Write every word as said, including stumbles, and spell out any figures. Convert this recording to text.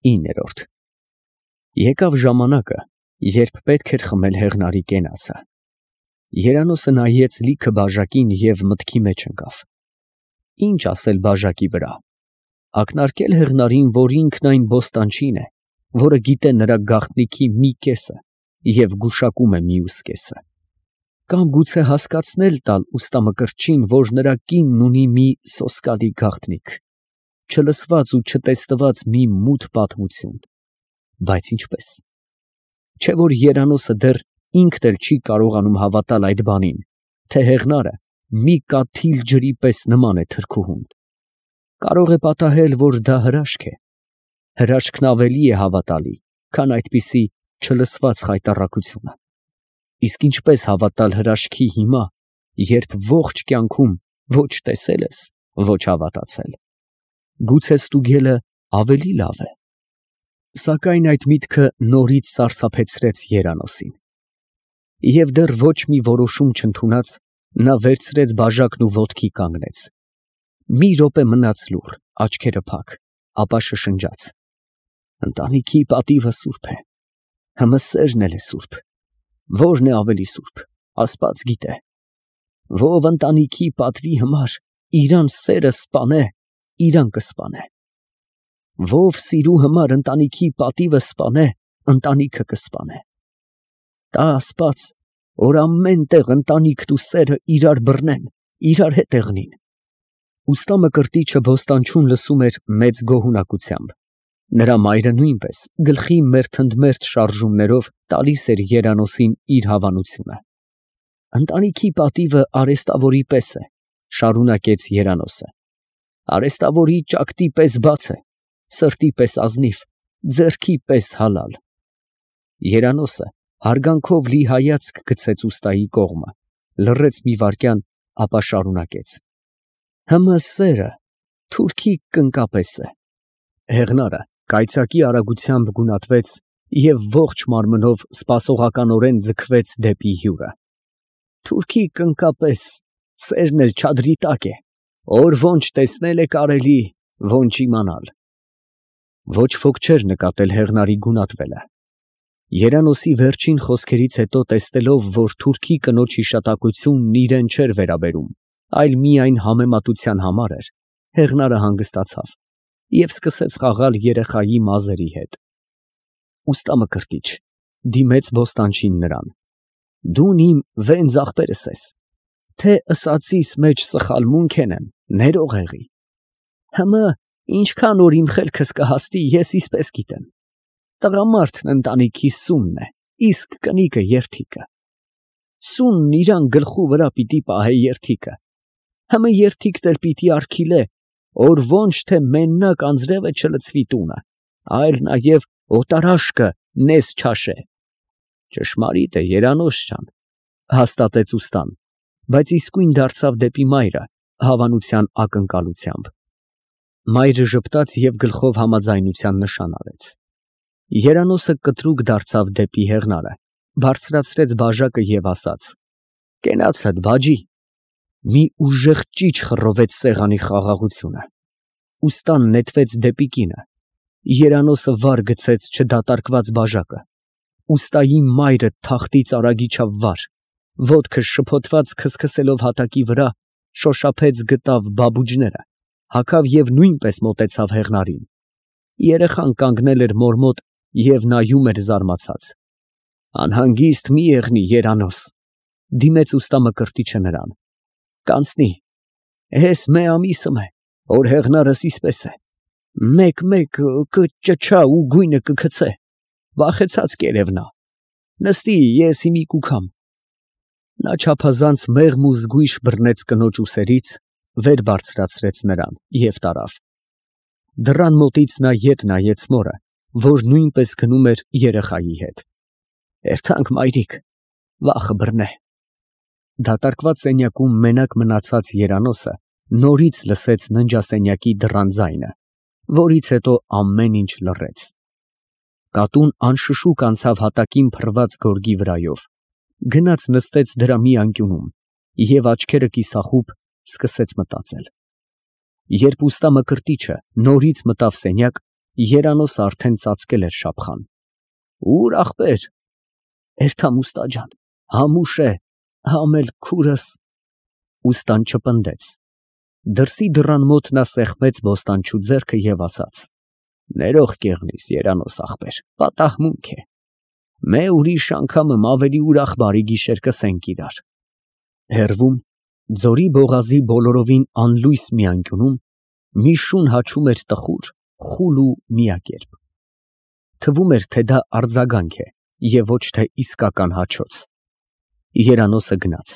ինը Եկավ ժամանակը, երբ պետք էր խմել Հեղնարի կենացը։ Երանոսը նայեց լիքը բաժակին և մտքի մեջ ընկավ. ինչ ասել բաժակի վրա, ակնարկել Հեղնարին, որ ինքն այն բոստանչին է, որը գիտե նրա գաղտնիքի մի կեսը և գուշակում է մյուս կեսը, կամ գուցե հասկացնել տալ ուստամկրտչին, որ նրա կինն ունի մի սոսկալի գաղտնիք, չլսված ու չտեսնված մի մութ պատմություն, բայց ինչպես. չէ՞ որ Երանոսը դեռ ինքն էլ չի կարողանում հավատալ այդ բանին, թե Հեղնարը մի կաթիլ ջրի պես նման է թրքուհուն. կարող է պատահել, որ դա հրաշք է, հրաշքն ավելի է հավատալի, քան այդպիսի չլսված խայտառակությունը, իսկ ինչպես հավատալ հրաշքի հիմա, երբ ողջ կյանքում ոչ տեսել ես, ոչ հավատացել, գուցե ստուգելը ավելի լավ է։ Սակայն այդ միտքը նորից սարսափեցրեց Երանոսին, և դեռ ոչ մի որոշում չընդունած, նա վերցրեց բաժակն ու ոտքի կանգնեց, մի րոպե մնաց լուռ, աչքերը փակ, ապա շշնջաց. ընտանիքի պատիվը սուրբ է, հըմը սերն էլ է սուրբ, որն է ավելի սուրբ, Աստված գիտե, ով ընտանիքի պատվի համար իրան սերը սպանե, իրան կսպանե, ով սիրու համար ընտանիքի պատիվը սպանե, ընտանիքը կսպանե։ Տա Աստված, որ ամեն տեղ ընտանիքն ու սերը իրար բռնեն, իրար հետ եղնին։ Ուստամկրտիչը բոստանչուն լսում էր մեծ գոհունակությամբ, նրա մայրը նույնպես գլխի մերթընդմերթ շարժումներով տալիս էր Երանոսին իր հավանությունը։ Ընտանիքի պատիվը արհեստավորի պես է, շարունակեց Երանոսը, արհեստավորի ճակտի պես բաց է, սրտի պես ազնիվ, ձեռքի պես հալալ։ Երանոսը հարգանքով լի հայացք գցեց ուստայի կողմը, լռեց մի վայրկյան, ապա շարունակեց. հըմը սերը թուրքի կնկա պես է։ Հեղնարը կայծակի արագությամբ գունատվեց և ողջ մարմնով սպասողականորեն ձգվեց դեպի հյուրը։ Թուրքի կնկա պես, սերն էլ չադրի տակ է, որ ոնչ տեսնել է կարելի, ոնչ իմանալ։ Ոչ ոք չէր նկատել Հեղնարի գունատվելը։ Երանոսի վերջին խոսքերից հետո, տեսնելով, որ թուրքի կնոջ հիշատակությունն իրան չէր վերաբերում, այլ միայն համեմատության համար էր, Հեղնարը հանգստացավ և սկսեց խաղալ երեխայի մազերի հետ։ Ուստամկրտիչ, դիմեց բոստանչին նրան, դուն իմ վենձ ախպերս ես, թե ըսածիս մեջ սխալմունք ենեմ, ներող եղի։ Հըմը ինչքան որ իմ խելքս կհասնի, ես իսպես գիտեմ, տղամարդն ընտանիքի սյունն է, իսկ կնիկը երդիքը։ Սյունն իրան գլխու վրա պիտի պահե երդիքը, հըմը երդիքն էլ պիտի արգիլե, որ ոնչ թե մենակ անձրևը չլցվի տունը, այլ նաև օտարաշկը նես չաշե։ Ճշմարիտ է, Երանոս ջան, հաստատեց ուստան, բայց իսկույն դարձավ դեպի մայրը հավանության ակնկալությամբ։ Մայրը ժպտաց և գլխով համաձայնության նշան արեց։ Երանոսը կտրուկ դարձավ դեպի Հեղնարը, բարձրացրեց բաժակը և ասաց. կենացդ բաջի։ Մի ուժեղ ճիչ խռովեց սեղանի խաղաղությունը։ Ուստան նետվեց դեպի կինը։ Երանոսը վար գցեց չդատարկված բաժակը։ Ուստայի մայրը թախտից արագ իջավ վար, ոտքը շփոթված քսքսելով հատակի վրա, շոշափեց գտավ բաբուջները, հագավ և նույնպես մոտեցավ Հեղնարին։ Երեխան կանգնել էր մոր մոտ և նայում էր զարմացած։ Անհանգիստ մի եղնի, Երանոս, դիմեց ուստամկրտիչը նրան, կանցնի, հես մի ամիսը է, որ Հեղնարս իսպես է, մեկ֊մեկ կճչա ու գույնը կգցե, վախեցած կերև նա, նստի, ես հիմի կուքամ։ Նա չափազանց մեղմ ու զգույշ բռնեց կնոջ ուսերից, վեր բարձրացրեց նրան և տարավ։ Դռան մոտից նա ետ նայեց մորը, որ նույնպես գնում էր երեխայի հետ։ Էրթանք մայրիկ, վախը բռնե։ Դատարկված սենյակում մենակ մնացած Երանոսը նորից լսեց ննջասենյակի դռան ձայնը, որից հետո ամեն ինչ լռեց։ Կատուն անշշուկ անցավ հատակին փռված գորգի վրայով, գնաց նստեց դրա մի անկյունում և աչքերը կիսախուբ սկսեց մտածել։ Երբ ուստամկրտիչը նորից մտավ սենյակ, Երանոսը արդեն ծածկել էր Շապխան։ Ո՞ւր ախպեր։ Էրթամ ուստա ջան, համուշ է, համ էլ քուրս։ Ուստան չպնդեց։ Դրսի դռան մոտ նա սեղմեց բոստանչու ձեռքը և ասաց. «Ներող կեղնիս, Երանոս ախպեր, պատահմունք է։ Մե ուրիշ անգամն ավելի ուրախ բարի գիշեր կսենք իրար»։ Հեռվում, ձորի բողազի բոլորովին անլույս մի անկյունում, մի շուն հաչում էր տխուր, խուլ ու միակերպ. թվում էր, թե դա արձագանք է և ոչ թե իսկական հաչոց։ Երանոսը գնաց։